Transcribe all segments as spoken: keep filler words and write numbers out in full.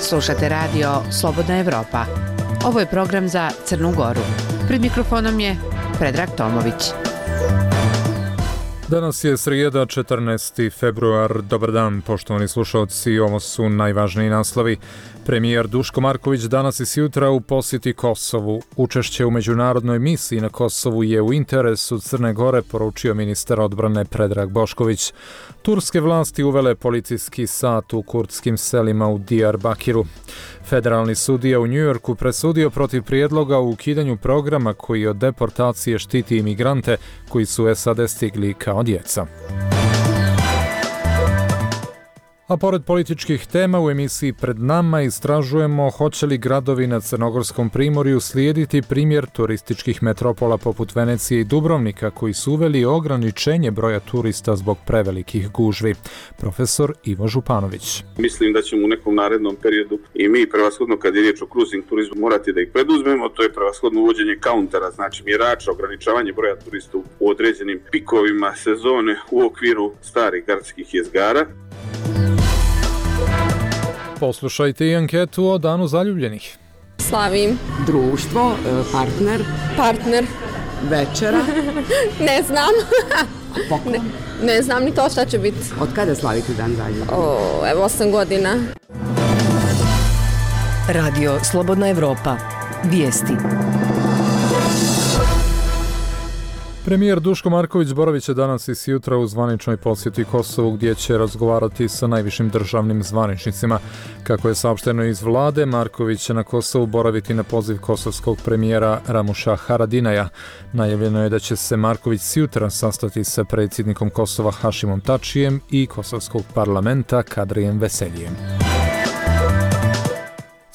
Slušate radio Slobodna Evropa. Ovo je program za Crnu Goru. Pred mikrofonom je Predrag Tomović. Danas je srijeda, četrnaesti februar. Dobar dan, poštovani slušalci. Ovo su najvažniji naslovi. Premijer Duško Marković danas i sjutra u posjeti Kosovu. Učešće u međunarodnoj misiji na Kosovu je u interesu Crne Gore, poručio ministar odbrane Predrag Bošković. Turske vlasti uvele policijski sat u kurdskim selima u Diyarbakiru. Federalni sudija u Njujorku presudio protiv prijedloga o ukidanju programa koji od deportacije štiti imigrante koji su u S A D stigli kao djeca. A pored političkih tema u emisiji Pred nama istražujemo hoće li gradovi na Crnogorskom primorju slijediti primjer turističkih metropola poput Venecije i Dubrovnika koji su uveli ograničenje broja turista zbog prevelikih gužvi. Profesor Ivo Županović. Mislim da ćemo u nekom narednom periodu i mi prevashodno kad je riječ o cruising turizmu morati da ih preduzmemo, to je prevashodno uvođenje kauntera, znači mjerača, ograničavanje broja turista u određenim pikovima sezone u okviru starih gradskih jezgara. Poslušajte i anketu o Danu zaljubljenih. Slavim. Društvo, partner. Partner. Večera. Ne znam. Poklon. Ne, ne znam ni to šta će biti. Od kada slavite Dan zaljubljenih? O, evo osam godina. Radio Slobodna Evropa. Vijesti. Premijer Duško Marković boravit će danas i sjutra u zvaničnoj posjeti Kosovu gdje će razgovarati sa najvišim državnim zvaničnicima. Kako je saopšteno iz vlade, Marković će na Kosovu boraviti na poziv kosovskog premijera Ramuša Haradinaja. Najavljeno je da će se Marković sjutra sastati sa predsjednikom Kosova Hašimom Tačijem i kosovskog parlamenta Kadrijem Veseljijem.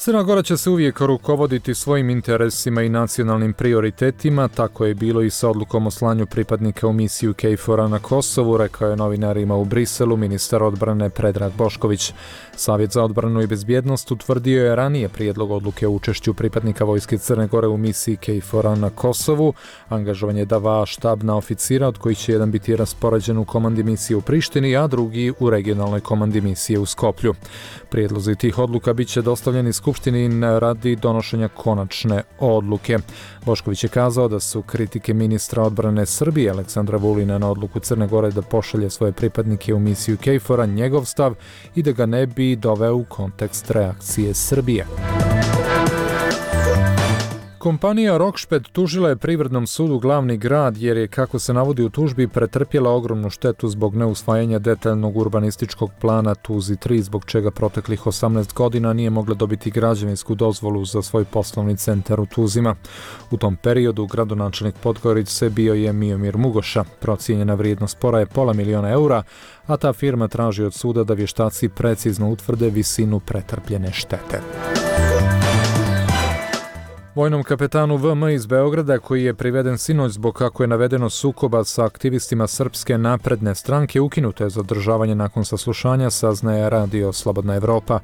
Crna Gora će se uvijek rukovoditi svojim interesima i nacionalnim prioritetima, tako je bilo i sa odlukom o slanju pripadnika u misiju K F O R-a na Kosovu, rekao je novinarima u Briselu ministar odbrane Predrag Bošković. Savjet za odbranu i bezbjednost utvrdio je ranije prijedlog odluke o učešću pripadnika vojske Crne Gore u misiji K F O R-a na Kosovu, angažovanje dva štabna oficira, od kojih će jedan biti raspoređen u komandi misije u Prištini, a drugi u regionalnoj komandi misije u Skoplju. Prijedlozi tih odluka bit će dostavljeni Skupštini radi donošenja konačne odluke. Bošković je kazao da su kritike ministra odbrane Srbije Aleksandra Vulina na odluku Crne Gore da pošalje svoje pripadnike u misiju K F O R-a njegov stav i da ga ne bi doveo u kontekst reakcije Srbije. Kompanija Rokšped tužila je Privrednom sudu glavni grad jer je, kako se navodi u tužbi, pretrpjela ogromnu štetu zbog neusvajanja detaljnog urbanističkog plana Tuzi tri, zbog čega proteklih osamnaest godina nije mogla dobiti građevinsku dozvolu za svoj poslovni centar u Tuzima. U tom periodu gradonačelnik Podgorice bio je Miomir Mugoša. Procijenjena vrijednost spora je pola miliona eura, a ta firma traži od suda da vještaci precizno utvrde visinu pretrpljene štete. Vojnom kapetanu V M iz Beograda, koji je priveden sinoć zbog, kako je navedeno, sukoba sa aktivistima Srpske napredne stranke, ukinuto je zadržavanje nakon saslušanja, saznaje radio Slobodna Evropa.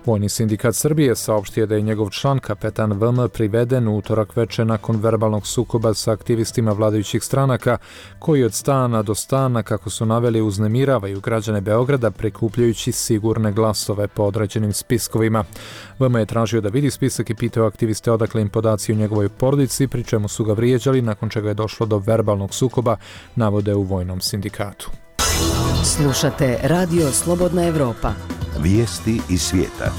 Vojni sindikat Srbije saopštio da je njegov član, kapetan V M, priveden u utorak veče nakon verbalnog sukoba sa aktivistima vladajućih stranaka, koji od stana do stana, kako su naveli, uznemiravaju građane Beograda prikupljajući sigurne glasove po određenim spiskovima. V M je tražio da vidi spisak i pitao aktiviste odakle im podaci o njegovoj porodici, pri čemu su ga vrijeđali, nakon čega je došlo do verbalnog sukoba, navode u vojnom sindikatu. Slušate Radio Slobodna Evropa. Vijesti iz svijeta.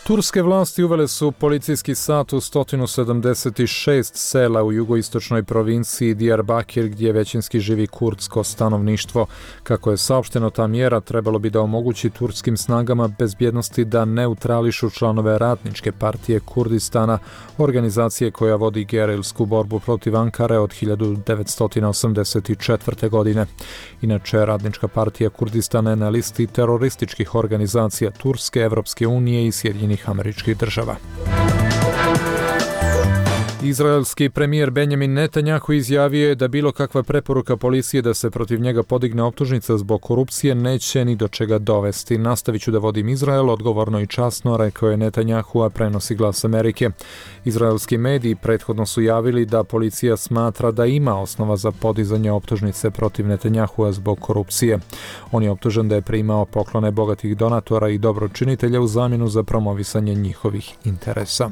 Turske vlasti uvele su policijski sat u sto sedamdeset šest sela u jugoistočnoj provinciji Diyarbakir gdje većinski živi kurdsko stanovništvo. Kako je saopšteno, ta mjera trebalo bi da omogući turskim snagama bezbjednosti da neutrališu članove Radničke partije Kurdistana, organizacije koja vodi gerilsku borbu protiv Ankare od hiljadu devetsto osamdeset četvrte. godine. Inače, Radnička partija Kurdistana je na listi terorističkih organizacija Turske, Evropske unije i Sjedinjenih Američkih Država. Izraelski premijer Benjamin Netanjahu izjavio je da bilo kakva preporuka policije da se protiv njega podigne optužnica zbog korupcije neće ni do čega dovesti. Nastavit ću da vodim Izrael, odgovorno i časno, rekao je Netanjahu, a prenosi Glas Amerike. Izraelski mediji prethodno su javili da policija smatra da ima osnova za podizanje optužnice protiv Netanjahua zbog korupcije. On je optužen da je primao poklone bogatih donatora i dobročinitelja u zamjenu za promovisanje njihovih interesa.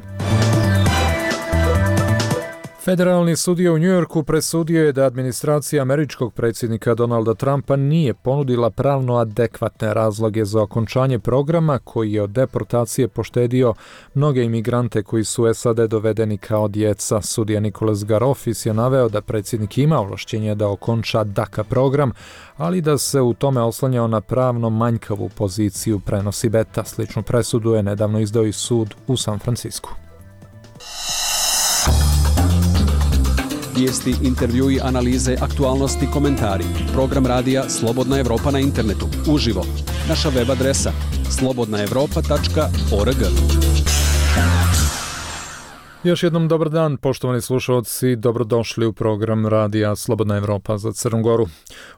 Federalni sudija u Njujorku presudio je da administracija američkog predsjednika Donalda Trumpa nije ponudila pravno adekvatne razloge za okončanje programa koji je od deportacije poštedio mnoge imigrante koji su u S A D dovedeni kao djeca. Sudija Nicholas Garofis je naveo da predsjednik ima ovlašćenje da okonča DACA program, ali da se u tome oslanjao na pravno manjkavu poziciju, prenosi Beta. Sličnu presudu je nedavno izdao i sud u San Francisku. Vijesti, intervjui, analize, aktualnosti, komentari. Program radija Slobodna Evropa na internetu. Uživo. Naša web adresa slobodna evropa tačka org. Još jednom dobar dan, poštovani slušalci, dobrodošli u program radija Slobodna Evropa za Crnu Goru.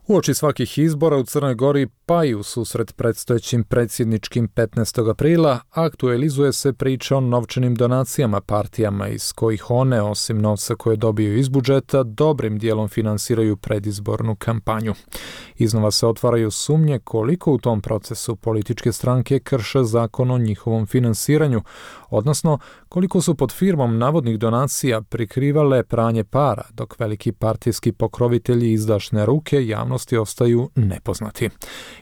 Uoči svakih izbora u Crnoj Gori, pa i u susret predstojećim predsjedničkim petnaestog aprila, aktualizuje se priča o novčanim donacijama partijama iz kojih one, osim novca koje dobiju iz budžeta, dobrim dijelom finansiraju predizbornu kampanju. Iznova se otvaraju sumnje koliko u tom procesu političke stranke krše zakon o njihovom finansiranju, odnosno koliko su pod firmom navodnih donacija prikrivale pranje para, dok veliki partijski pokrovitelji izdašne ruke javnosti ostaju nepoznati.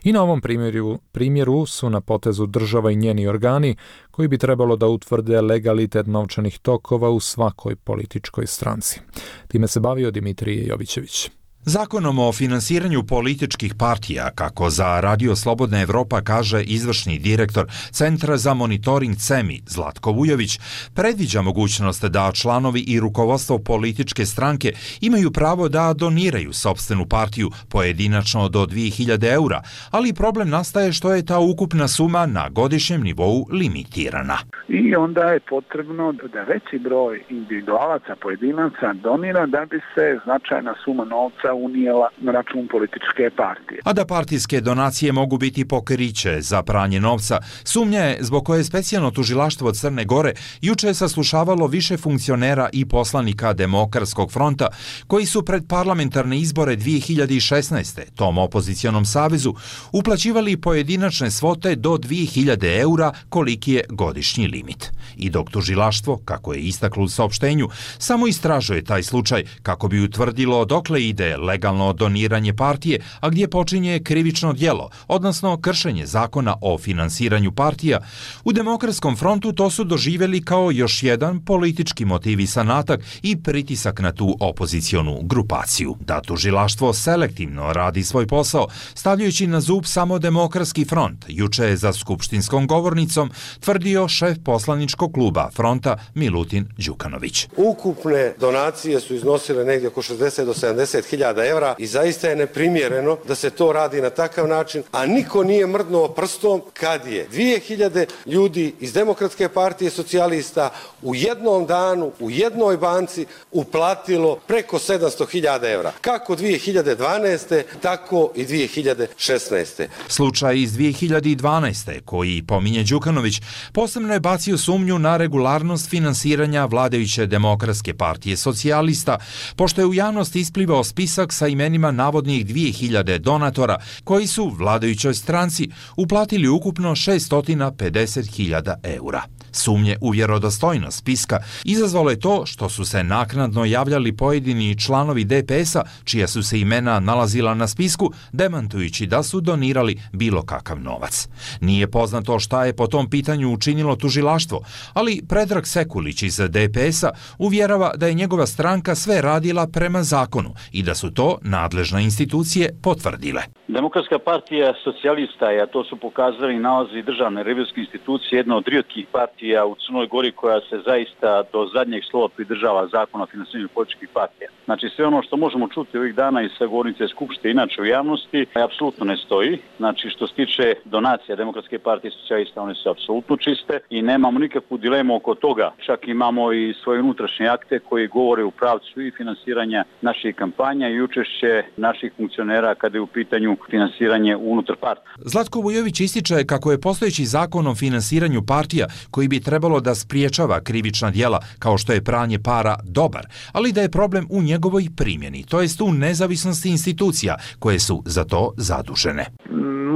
I na ovom primjeru, primjeru su na potezu država i njeni organi koji bi trebalo da utvrde legalitet novčanih tokova u svakoj političkoj stranci. Time se bavio Dimitrije Jovićević. Zakonom o finansiranju političkih partija, kako za Radio Slobodna Evropa kaže izvršni direktor Centra za monitoring C E M I Zlatko Vujović, predviđa mogućnost da članovi i rukovodstvo političke stranke imaju pravo da doniraju sopstvenu partiju pojedinačno do dvije hiljade eura, ali problem nastaje što je ta ukupna suma na godišnjem nivou limitirana. I onda je potrebno da veći broj individualaca, pojedinaca donira da bi se značajna suma novca unijela na račun političke partije. A da partijske donacije mogu biti pokriće za pranje novca, sumnja je zbog koje specijalno tužilaštvo Crne Gore juče je saslušavalo više funkcionera i poslanika Demokratskog fronta koji su pred parlamentarne izbore dvije hiljade šesnaeste. tom opozicionom savezu uplaćivali pojedinačne svote do dvije hiljade eura koliki je godišnji limit. I dok tužilaštvo, kako je istaklo u saopštenju, samo istražuje taj slučaj kako bi utvrdilo dokle ide legalno doniranje partije, a gdje počinje krivično djelo, odnosno kršenje zakona o finansiranju partija, u Demokratskom frontu to su doživjeli kao još jedan politički motivisan atak i pritisak na tu opozicionu grupaciju. Da tužilaštvo selektivno radi svoj posao, stavljajući na zub samo Demokratski front, juče je za skupštinskom govornicom tvrdio šef poslaničkog kluba fronta Milutin Đukanović. Ukupne donacije su iznosile negdje oko šezdeset do sedamdeset hiljada evra i zaista je neprimjereno da se to radi na takav način, a niko nije mrdnuo prstom kad je dvije hiljade ljudi iz Demokratske partije socijalista u jednom danu, u jednoj banci uplatilo preko sedamsto hiljada evra. Kako dvije hiljade dvanaeste, tako i dvije hiljade šesnaeste. Slučaj iz dvije hiljade dvanaeste, koji pominje Đukanović, posebno je bacio sumnju na regularnost finansiranja vladajuće Demokratske partije socijalista, pošto je u javnosti isplivao spisak sa imenima navodnih dvije hiljade donatora koji su vladajućoj stranci uplatili ukupno šesto pedeset hiljada eura. Sumnje u vjerodostojnost spiska izazvalo je to što su se naknadno javljali pojedini članovi D P S-a čija su se imena nalazila na spisku, demantujući da su donirali bilo kakav novac. Nije poznato šta je po tom pitanju učinilo tužilaštvo, ali Predrag Sekulić iz D P S-a uvjerava da je njegova stranka sve radila prema zakonu i da su su to nadležne institucije potvrdile. Demokratska partija socijalista, a to su pokazali nalazi državne revizijske institucije, jedna od rijetkih partija u Crnoj Gori koja se zaista do zadnjeg slova pridržava zakona o finansiranju političkih partija. Znači sve ono što možemo čuti ovih dana iz sagovornice Skupštine inače u javnosti, apsolutno ne stoji. Znači što se tiče donacija Demokratske partije socijalista, one su apsolutno čiste i nemamo nikakvu dilemu oko toga. Čak imamo i svoje unutrašnje akte koji govore u pravcu i finansiranja naših kampanja i učešće naših funkcionera kada je u pitanju finansiranje unutar partije. Zlatko Vujović ističe kako je postojeći zakon o finansiranju partija koji bi trebalo da spriječava krivična djela kao što je pranje para dobar, ali da je problem u njegovoj primjeni, to jest u nezavisnosti institucija koje su za to zadužene.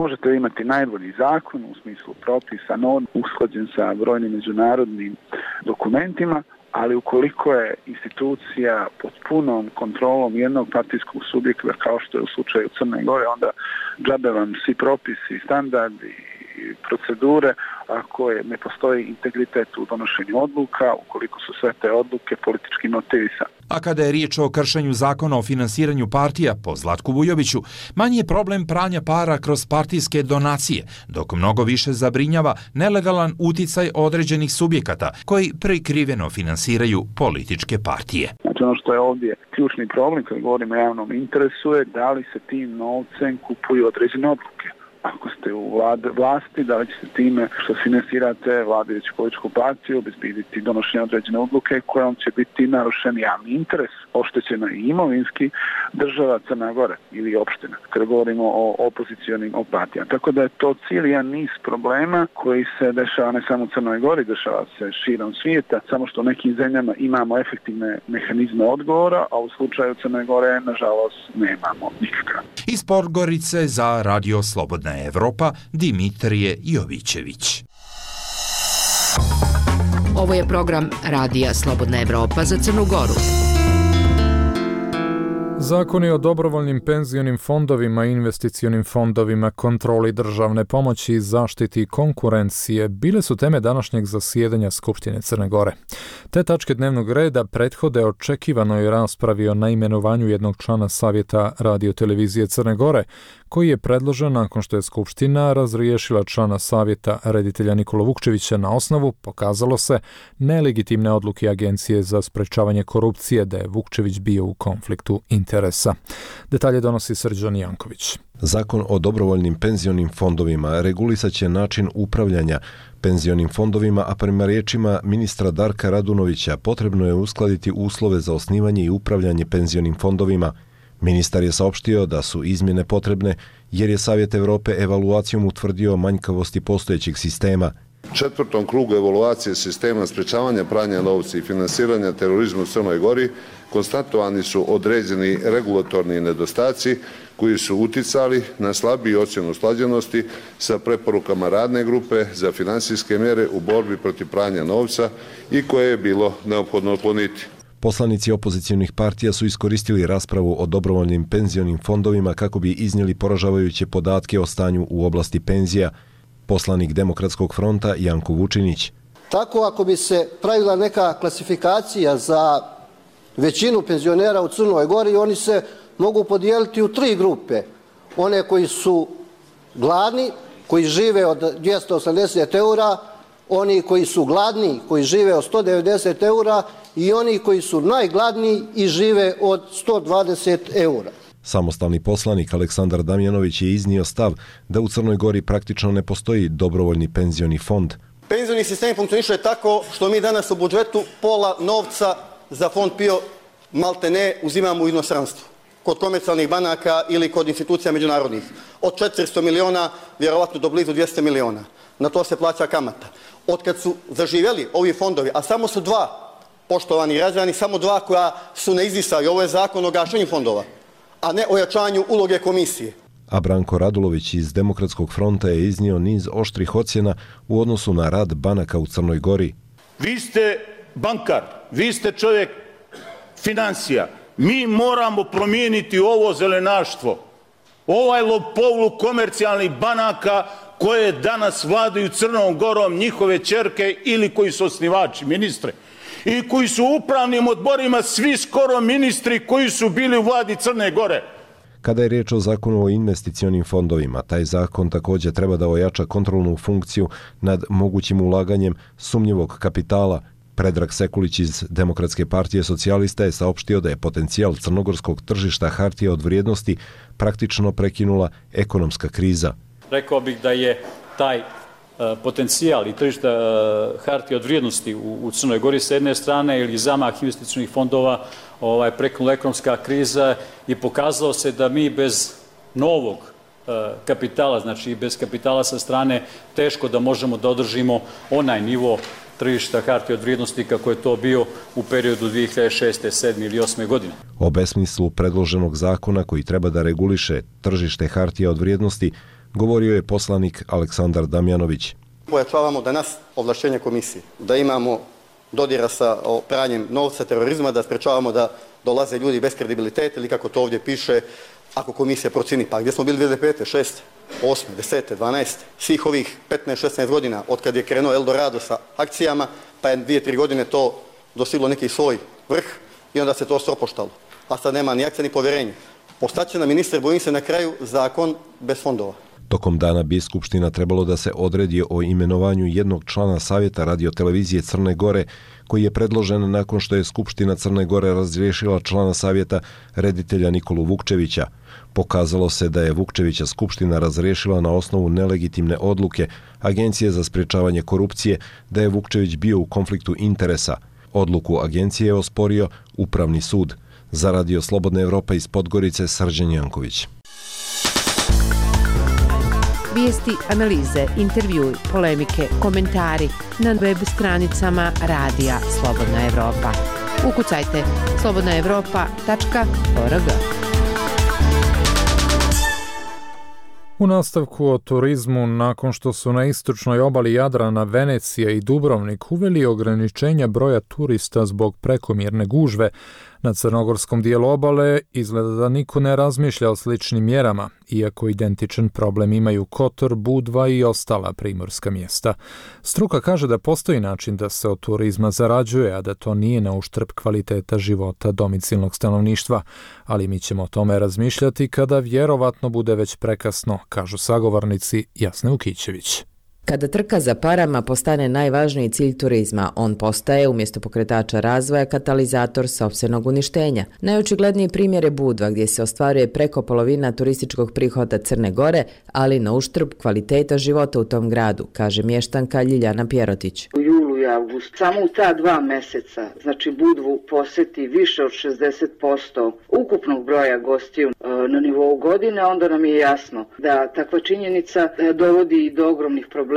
Možete imati najbolji zakon u smislu propisa, norm, usklađen sa brojnim međunarodnim dokumentima, ali ukoliko je institucija pod punom kontrolom jednog partijskog subjekta, kao što je u slučaju Crne Gore, onda džabe vam svi propisi, standardi i procedure, ako je, ne postoji integritet u donošenju odluka, ukoliko su sve te odluke politički motivisane. A kada je riječ o kršenju zakona o finansiranju partija, po Zlatku Vujoviću, manji je problem pranja para kroz partijske donacije, dok mnogo više zabrinjava nelegalan uticaj određenih subjekata koji prikriveno finansiraju političke partije. Znači ono što je ovdje ključni problem kad govorimo o javnom interesu je da li se tim novcem kupuju određene odluke. Ako ste u vlade, vlasti, da li ćete time što finansirate vladajuću političku partiju obezbediti donošenje određene odluke kojom će biti narušen javni interes, oštećena i imovinski država Crna Gora ili opština, kada govorimo o opozicionim partijama. Tako da je to cijeli jedan niz problema koji se dešava ne samo u Crnoj Gori, dešava se širom svijeta, samo što u nekim zemljama imamo efektivne mehanizme odgovora, a u slučaju Crne Gore, nažalost, nemamo nikakav. Iz Podgorice za Radio Slobodna Evropa, Dimitrije Jovićević. Ovo je program Radija Slobodna Evropa za Crnu Goru. Zakoni o dobrovoljnim penzionim fondovima i investicionim fondovima, kontroli državne pomoći i zaštiti konkurencije bile su teme današnjeg zasjedanja Skupštine Crne Gore. Te tačke dnevnog reda prethode očekivanoj raspravi o naimenovanju jednog člana Savjeta radiotelevizije Crne Gore, koji je predložen nakon što je Skupština razriješila člana Savjeta reditelja Nikola Vukčevića na osnovu, pokazalo se, nelegitimne odluke Agencije za sprečavanje korupcije da je Vukčević bio u konfliktu interesa. Detalje donosi Srđan Janković. Zakon o dobrovoljnim penzionim fondovima regulisaće način upravljanja penzionim fondovima, a prema riječima ministra Darka Radunovića potrebno je uskladiti uslove za osnivanje i upravljanje penzionim fondovima. Ministar je saopštio da su izmjene potrebne jer je Savjet Evrope evaluacijom utvrdio manjkavosti postojećeg sistema. Četvrtom krugu evaluacije sistema sprečavanja pranja novca i finansiranja terorizma u Crnoj Gori konstatovani su određeni regulatorni nedostaci koji su uticali na slabiju ocjenu usklađenosti sa preporukama radne grupe za finansijske mjere u borbi protiv pranja novca i koje je bilo neophodno otkloniti. Poslanici opozicionih partija su iskoristili raspravu o dobrovoljnim penzionim fondovima kako bi iznijeli poražavajuće podatke o stanju u oblasti penzija. Poslanik Demokratskog fronta Janko Vučinić. Tako ako bi se pravila neka klasifikacija za većinu penzionera u Crnoj Gori, oni se mogu podijeliti u tri grupe. One koji su gladni, koji žive od dvjesto osamdeset eura, oni koji su gladni, koji žive od sto devedeset eura i oni koji su najgladniji i žive od sto dvadeset eura. Samostalni poslanik Aleksandar Damjanović je iznio stav da u Crnoj Gori praktično ne postoji dobrovoljni penzioni fond. Penzioni sistem funkcioniše tako što mi danas u budžetu pola novca za fond PIO maltene uzimamo u inostranstvu, kod komercijalnih banaka ili kod institucija međunarodnih. Od četiristo miliona, vjerovatno do blizu dvjesto miliona. Na to se plaća kamata. Od kad su zaživjeli ovi fondovi, a samo su dva, poštovani građani, samo dva koja su ne izdisali. Ovo je zakon o gašenju fondova, a ne o jačanju uloge komisije. A Branko Radulović iz Demokratskog fronta je iznio niz oštrih ocjena u odnosu na rad banaka u Crnoj Gori. Vi ste bankar, vi ste čovjek financija. Mi moramo promijeniti ovo zelenaštvo. Ovaj lopovluk komercijalnih banaka koje danas vladaju Crnom Gorom, njihove ćerke ili koji su osnivači, ministre. i koji su u upravnim odborima svi skoro ministri koji su bili u vladi Crne Gore. Kada je riječ o zakonu o investicionim fondovima, taj zakon također treba da ojača kontrolnu funkciju nad mogućim ulaganjem sumnjivog kapitala. Predrag Sekulić iz Demokratske partije socijalista je saopštio da je potencijal crnogorskog tržišta hartija od vrijednosti praktično prekinula ekonomska kriza. Rekao bih da je taj potencijal i tržišta hartija od vrijednosti u, u Crnoj Gori sa jedne strane ili zamah investicionih fondova ovaj, prekinula ekonomska kriza i pokazalo se da mi bez novog kapitala, znači bez kapitala sa strane, teško da možemo da održimo onaj nivo tržišta hartija od vrijednosti kako je to bio u periodu dvije hiljade šeste, sedme ili osme godine. O besmislu predloženog zakona koji treba da reguliše tržište hartija od vrijednosti govorio je poslanik Aleksandar Damjanović. Pojačavamo danas ovlašćenje komisije, da imamo dodira sa pranjem novca, terorizma, da sprečavamo da dolaze ljudi bez kredibiliteta ili kako to ovdje piše, ako komisija procini. Pa gdje smo bili dvije hiljade pete, šeste, osme, desete, dvanaeste, svih ovih petnaest šesnaest godina od kad je krenuo Eldorado sa akcijama, pa je dvije tri godine to dostiglo neki svoj vrh i onda se to stropoštalo. A sad nema ni akcija ni povjerenja. Ostaće na ministar, bojim se na kraju, zakon bez fondova. Tokom dana bi Skupština trebalo da se odredi o imenovanju jednog člana Savjeta radiotelevizije Crne Gore, koji je predložen nakon što je Skupština Crne Gore razriješila člana Savjeta reditelja Nikolu Vukčevića. Pokazalo se da je Vukčevića Skupština razriješila na osnovu nelegitimne odluke Agencije za sprječavanje korupcije da je Vukčević bio u konfliktu interesa. Odluku agencije je osporio Upravni sud. Za Radio Slobodna Evropa iz Podgorice, Srđan Janković. Vijesti, analize, intervjui, polemike, komentari na web stranicama Radija Slobodna Evropa. Ukucajte slobodna evropa tačka org. U nastavku o turizmu, nakon što su na istočnoj obali Jadrana Venecija i Dubrovnik uveli ograničenja broja turista zbog prekomjerne gužve, na crnogorskom dijelu obale izgleda da niko ne razmišlja o sličnim mjerama, iako identičan problem imaju Kotor, Budva i ostala primorska mjesta. Struka kaže da postoji način da se od turizma zarađuje, a da to nije na uštrb kvaliteta života domicilnog stanovništva, ali mi ćemo o tome razmišljati kada vjerovatno bude već prekasno, kažu sagovornici Jasne Ukićević. Kada trka za parama postane najvažniji cilj turizma, on postaje, umjesto pokretača razvoja, katalizator sopstvenog uništenja. Najočigledniji primjer je Budva, gdje se ostvaruje preko polovina turističkog prihoda Crne Gore, ali na uštrb kvaliteta života u tom gradu, kaže mještanka Ljiljana Pjerotić. U julu i avgustu, samo u ta dva mjeseca, znači Budvu posjeti više od šezdeset posto ukupnog broja gostiju na nivou godine, onda nam je jasno da takva činjenica dovodi do ogromnih problema.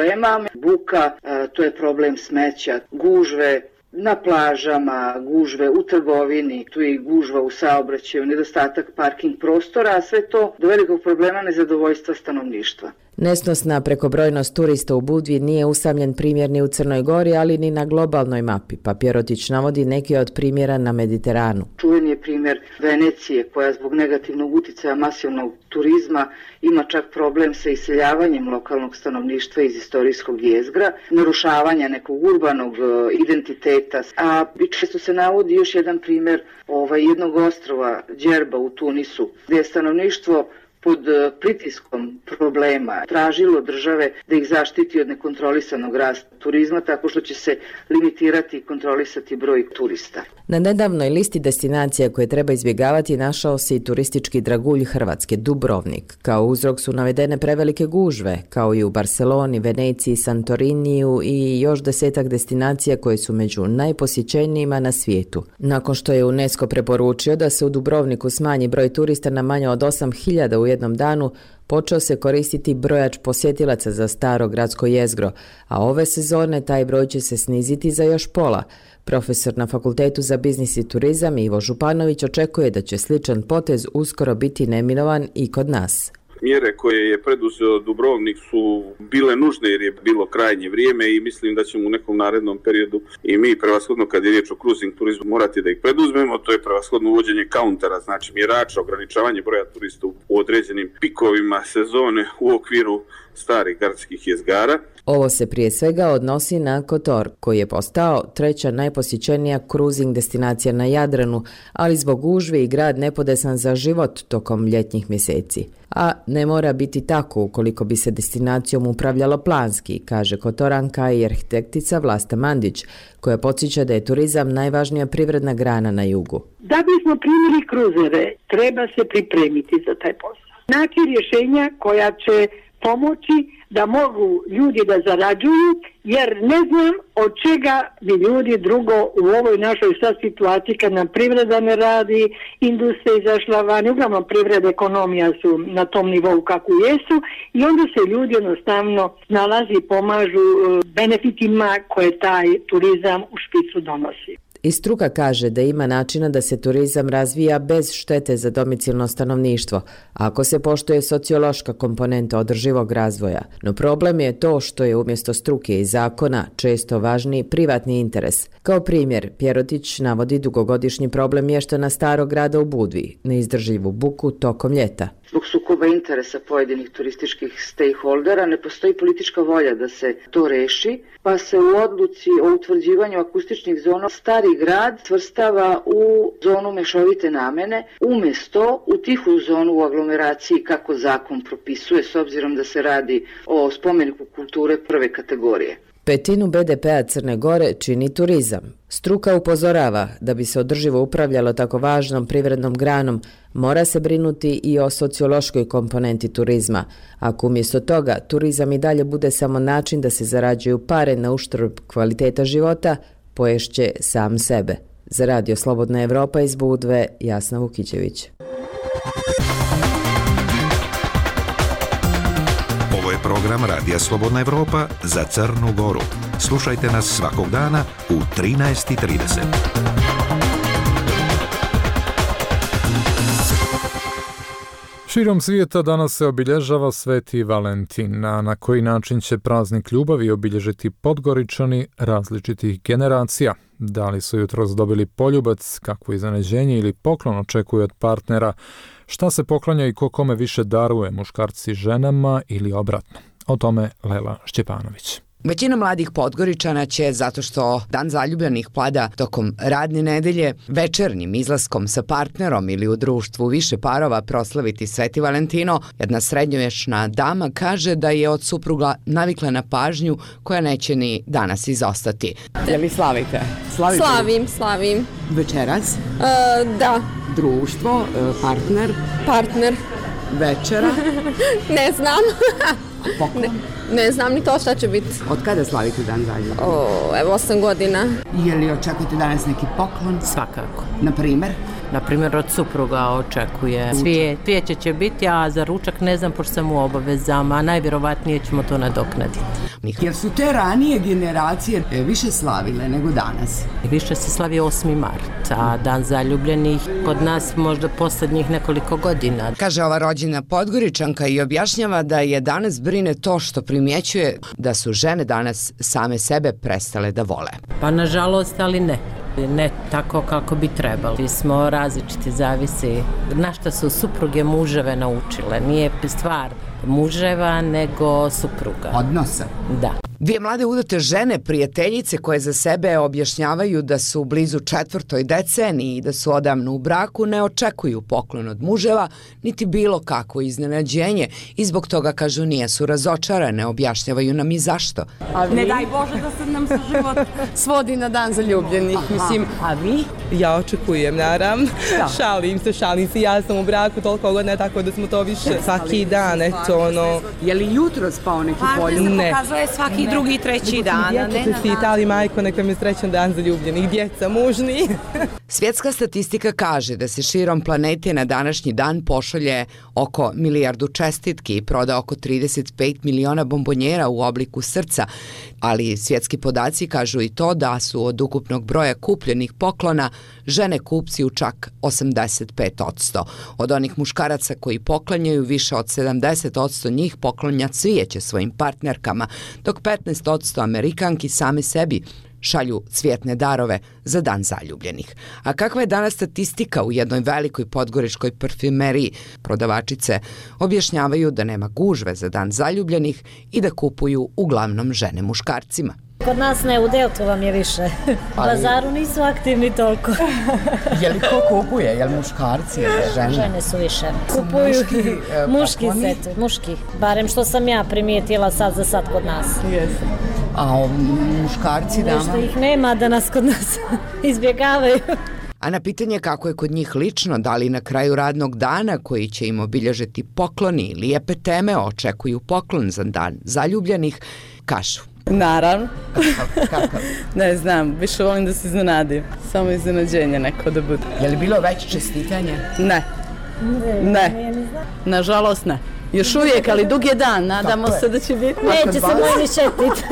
Buka, to je problem smeća, gužve na plažama, gužve u trgovini, tu je i gužva u saobraćaju, nedostatak parking prostora, a sve to do velikog problema nezadovoljstva stanovništva. Nesnosna prekobrojnost turista u Budvi nije usamljen primjer ni u Crnoj Gori, ali ni na globalnoj mapi, pa Pjerotić navodi neki od primjera na Mediteranu. Čuveni je primjer Venecije, koja zbog negativnog utjecaja masivnog turizma ima čak problem sa iseljavanjem lokalnog stanovništva iz istorijskog jezgra, narušavanja nekog urbanog identiteta, a često se navodi još jedan primjer ovaj, jednog ostrova, Djerba u Tunisu, gdje je stanovništvo pod pritiskom problema tražilo države da ih zaštiti od nekontrolisanog rasta turizma tako što će se limitirati i kontrolisati broj turista. Na nedavnoj listi destinacija koje treba izbjegavati našao se i turistički dragulj Hrvatske, Dubrovnik. Kao uzrok su navedene prevelike gužve, kao i u Barceloni, Veneciji, Santoriniju i još desetak destinacija koje su među najposjećenijima na svijetu. Nakon što je UNESCO preporučio da se u Dubrovniku smanji broj turista na manje od osam hiljada u jednom danu, počeo se koristiti brojač posjetilaca za staro gradsko jezgro, a ove sezone taj broj će se sniziti za još pola. Profesor na Fakultetu za biznis i turizam Ivo Županović očekuje da će sličan potez uskoro biti neminovan i kod nas. Mjere koje je preduzeo Dubrovnik su bile nužne jer je bilo krajnje vrijeme i mislim da ćemo u nekom narednom periodu i mi prevashodno kad je riječ o cruising turizmu morati da ih preduzmemo. To je prevashodno uvođenje kauntera, znači mjerača, ograničavanje broja turista u određenim pikovima sezone u okviru starih gradskih jezgara. Ovo se prije svega odnosi na Kotor, koji je postao treća najposjećenija cruising destinacija na Jadranu, ali zbog gužve i grad nepodesan za život tokom ljetnjih mjeseci. A ne mora biti tako ukoliko bi se destinacijom upravljalo planski, kaže Kotoranka i arhitektica Vlasta Mandić, koja podsjeća da je turizam najvažnija privredna grana na jugu. Da bismo primili kruzere, treba se pripremiti za taj posao. Naći rješenja koja će pomoći da mogu ljudi da zarađuju, jer ne znam od čega bi ljudi drugo u ovoj našoj sad situaciji kad nam privreda ne radi, industrija izašla van, uglavnom privreda, ekonomija su na tom nivou kako jesu i onda se ljudi jednostavno nalazi i pomažu benefitima koje taj turizam u špicu donosi. I struka kaže da ima načina da se turizam razvija bez štete za domicilno stanovništvo, ako se poštuje sociološka komponenta održivog razvoja. No problem je to što je umjesto struke i zakona često važniji privatni interes. Kao primjer, Pjerotić navodi dugogodišnji problem mještana Starog grada u Budvi, neizdrživu buku tokom ljeta. Zbog sukoba interesa pojedinih turističkih stakeholdera ne postoji politička volja da se to reši, pa se u odluci o utvrđivanju akustičnih zona Stari grad svrstava u zonu mešovite namene, umjesto u tihu zonu u aglomeraciji kako zakon propisuje, s obzirom da se radi o spomeniku kulture prve kategorije. Petinu be de pea Crne Gore čini turizam. Struka upozorava da bi se održivo upravljalo tako važnom privrednom granom, mora se brinuti i o sociološkoj komponenti turizma. Ako umjesto toga turizam i dalje bude samo način da se zarađuju pare na uštrb kvaliteta života, poješće sam sebe. Za Radio Slobodna Evropa iz Budve, Jasna Vukićević. Ovo je program Radija Slobodna Evropa za Crnu Goru. Slušajte nas svakog dana u trinaest i trideset. Širom svijeta danas se obilježava Sveti Valentin, a na koji način će praznik ljubavi obilježiti Podgoričani različitih generacija. Da li su jutros dobili poljubac, kakvo iznenađenje ili poklon očekuju od partnera, šta se poklanja i ko kome više daruje, muškarci ženama ili obratno. O tome Lela Šćepanović. Većina mladih Podgoričana će, zato što Dan zaljubljenih pada tokom radne nedelje, večernjim izlaskom sa partnerom ili u društvu više parova proslaviti Sveti Valentino. Jedna srednjovječna dama kaže da je od supruga navikla na pažnju koja neće ni danas izostati. Je li slavite? Slavite slavim, li? slavim. Večeras? Uh, da. Društvo, partner? Partner. Večera? Ne znam. Ne, ne znam ni to šta će biti. Od kada slavite Dan zaljubljenih? O, evo osam godina. Je li očekujete danas neki poklon? Svakako. Na primer? Na primjer od supruga očekuje. Cvijet. Cvijeće će biti, a za ručak ne znam pošto sam u obavezama, a najvjerovatnije ćemo to nadoknaditi. Jer su te ranije generacije više slavile nego danas? Više se slavi osmi mart, a Dan zaljubljenih kod nas možda posljednjih nekoliko godina. Kaže ova rođena Podgoričanka i objašnjava da je danas brine to što primjećuje da su žene danas same sebe prestale da vole. Pa nažalost, ali ne. Ne tako kako bi trebali. Smo različiti, zavisi na što su supruge muževe naučile. Nije stvar muževa, nego supruga. Odnosa? Da. Dvije mlade udate žene, prijateljice koje za sebe objašnjavaju da su blizu četvrtoj deceniji i da su odavno u braku, ne očekuju poklon od muževa, niti bilo kakvo iznenađenje i zbog toga, kažu, nijesu razočarane, objašnjavaju nam i zašto. Ne daj Bože da se nam se život svodi na Dan zaljubljenih. Mislim, a vi? Ja očekujem, naravno. Da. Šalim se, šalim se, ja sam u braku toliko godina, tako da smo to više svaki dan, eto ono. Je li jutro spao neki polju? Ne. Pokazuje svaki drugi i treći dan. Djeca se Italiji, majko, neka mi je srećan Dan zaljubljenih, djeca mužni. Svjetska statistika kaže da se širom planete na današnji dan pošalje oko milijardu čestitki i proda oko trideset pet miliona bombonjera u obliku srca, ali svjetski podaci kažu i to da su od ukupnog broja kupljenih poklona žene kupci u čak osamdeset pet posto. Od onih muškaraca koji poklanjaju, više od sedamdeset posto njih poklanja cvijeće svojim partnerkama, dok petnaest posto Amerikanki same sebi šalju cvjetne darove za dan zaljubljenih. A kakva je danas statistika u jednoj velikoj podgoričkoj parfumeriji? Prodavačice objašnjavaju da nema gužve za dan zaljubljenih i da kupuju uglavnom žene muškarcima. Kod nas ne, u Deltu vam je više. U bazaru nisu aktivni toliko. Je li ko kupuje? Je li muškarci ili žene? Žene su više. Kupuju muški, muški set, muški. Barem što sam ja primijetila sad za sad kod nas. Jesu. A muškarci dama? Nešto ih nema da nas kod nas izbjegavaju. A na pitanje kako je kod njih lično, da li na kraju radnog dana koji će im obilježiti pokloni i lijepe teme očekuju poklon za dan zaljubljenih, kažu. Naravno. Kakav? Ne znam, više volim da se iznenadim. Samo iznenađenje neko da bude. Je li bilo već čestitanje? Ne. Ne. Nažalost ne. Još uvijek, ali dug je dan, nadamo se da će biti. Neće se moj ni šetit.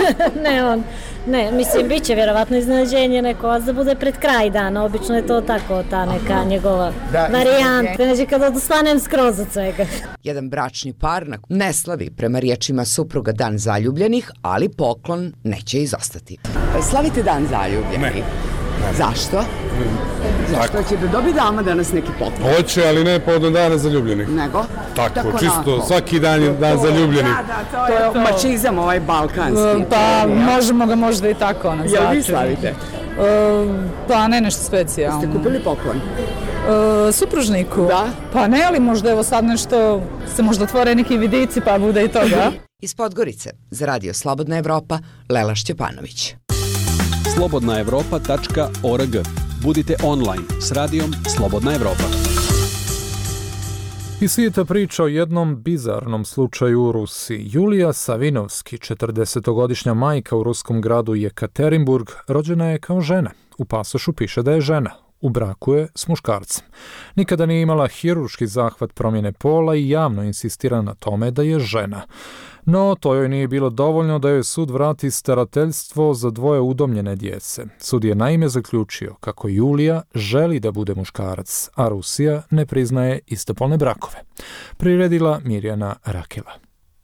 Ne, on. Ne, mislim, bit će vjerovatno iznenađenje neko, a da bude pred kraj dana, obično je to tako, ta neka njegova varijanta, znači kada odustanem skroz od svega. Jedan bračni par ne slavi prema riječima supruga dan zaljubljenih, ali poklon neće izostati. Slavite dan zaljubljenih? Ne. Zašto? Zašto će da dobi dama danas neki poklon? Hoće, ali ne povodom dana zaljubljenih. Nego? Tako, Tako čisto, nako. svaki dan je dan zaljubljenih. Da, da, to je to. Mačizam ovaj balkanski. Pa možemo ga možda i tako nazvati. Jel vi slavite? Pa ne nešto specijalno. Ste kupili poklon? Supružniku? Da. Pa ne, ali možda evo sad nešto, se možda otvore neki vidici pa bude i toga. Iz Podgorice, za Radio Slobodna Evropa, Lela Šćepanović. slobodna evropa tačka org. Budite online s radijom Slobodna Evropa. Iz svijeta priča o jednom bizarnom slučaju u Rusiji. Julija Savinovski, četrdesetogodišnja majka u ruskom gradu Jekaterinburg, rođena je kao žena. U pasošu piše da je žena. U braku je s muškarcem. Nikada nije imala hirurški zahvat promjene pola i javno insistira na tome da je žena. No, to joj nije bilo dovoljno da joj sud vrati starateljstvo za dvoje udomljene djece. Sud je naime zaključio kako Julija želi da bude muškarac, a Rusija ne priznaje istopolne brakove. Priredila Mirjana Rakela.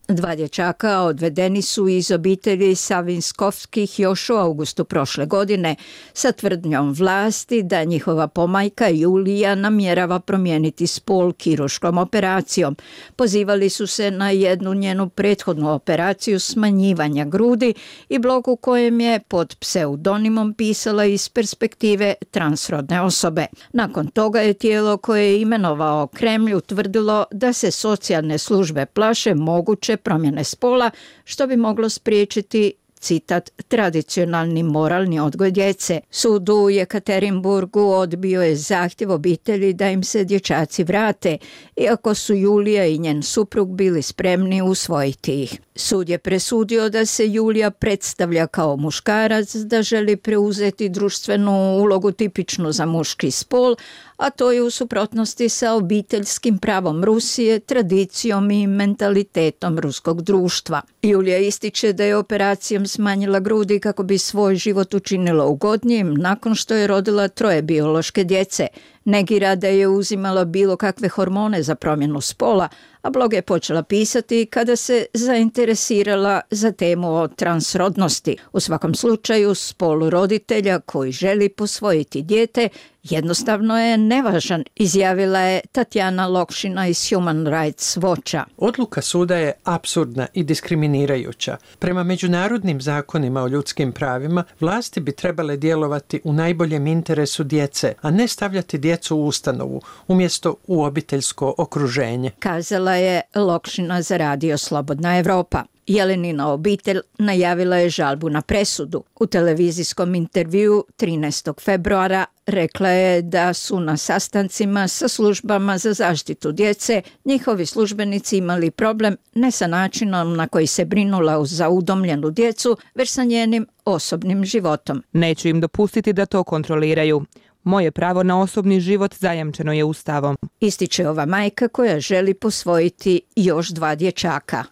Dva dječaka odvedeni su iz obitelji Savinskovskih još u augustu prošle godine sa tvrdnjom vlasti da njihova pomajka Julija namjerava promijeniti spol kirurškom operacijom. Pozivali su se na jednu njenu prethodnu operaciju smanjivanja grudi i blog u kojem je pod pseudonimom pisala iz perspektive transrodne osobe. Nakon toga je tijelo koje je imenovao Kremlj utvrdilo da se socijalne službe plaše moguće promjene spola, što bi moglo spriječiti, citat, tradicionalni moralni odgoj djece. Sud u Jekaterinburgu odbio je zahtjev obitelji da im se dječaci vrate, iako su Julija i njen suprug bili spremni usvojiti ih. Sud je presudio da se Julija predstavlja kao muškarac, da želi preuzeti društvenu ulogu tipičnu za muški spol, a to je u suprotnosti sa obiteljskim pravom Rusije, tradicijom i mentalitetom ruskog društva. Julija ističe da je operacijom smanjila grudi kako bi svoj život učinila ugodnijim nakon što je rodila troje biološke djece. Negira da je uzimala bilo kakve hormone za promjenu spola, a blog je počela pisati kada se zainteresirala za temu o transrodnosti. U svakom slučaju, spol roditelja koji želi posvojiti dijete jednostavno je nevažan, izjavila je Tatjana Lokšina iz Human Rights Watcha. Odluka suda je apsurdna i diskriminirajuća. Prema međunarodnim zakonima o ljudskim pravima, vlasti bi trebale djelovati u najboljem interesu djece, a ne stavljati djecu u ustanovu, umjesto u obiteljsko okruženje. Kazala je Lokšina za Radio Slobodna Evropa. Jelenina obitelj najavila je žalbu na presudu. U televizijskom intervjuu trinaestog februara rekla je da su na sastancima sa službama za zaštitu djece njihovi službenici imali problem ne sa načinom na koji se brinula za udomljenu djecu, već sa njenim osobnim životom. Neću im dopustiti da to kontroliraju. Moje pravo na osobni život zajamčeno je Ustavom. Ističe ova majka koja želi posvojiti još dva dječaka.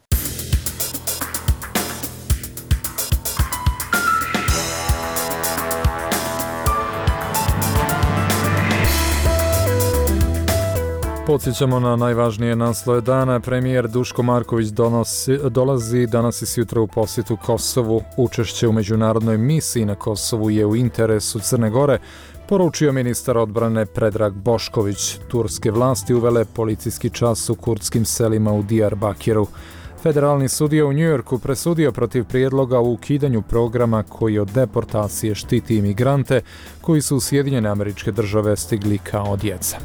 Podsjećamo na najvažnije naslove dana. Premijer Duško Marković donosi, dolazi danas i sutra u posjetu Kosovu. Učešće u međunarodnoj misiji na Kosovu je u interesu Crne Gore, poručio ministar odbrane Predrag Bošković. Turske vlasti uvele policijski čas u kurdskim selima u Diyarbakiru. Federalni sudija u Njujorku presudio protiv prijedloga o ukidanju programa koji od deportacije štiti imigrante koji su u Sjedinjene Američke Države stigli kao djeca.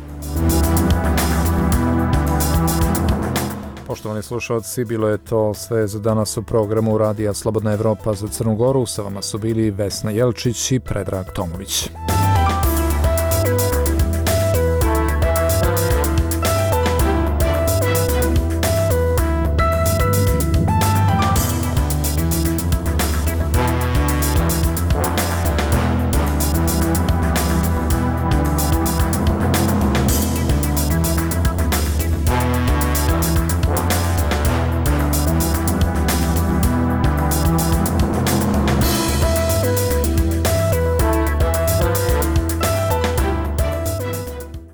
Poštovani slušalci, bilo je to sve za danas u programu Radija Slobodna Evropa za Crnu Goru. Sa vama su bili Vesna Jelčić i Predrag Tomović.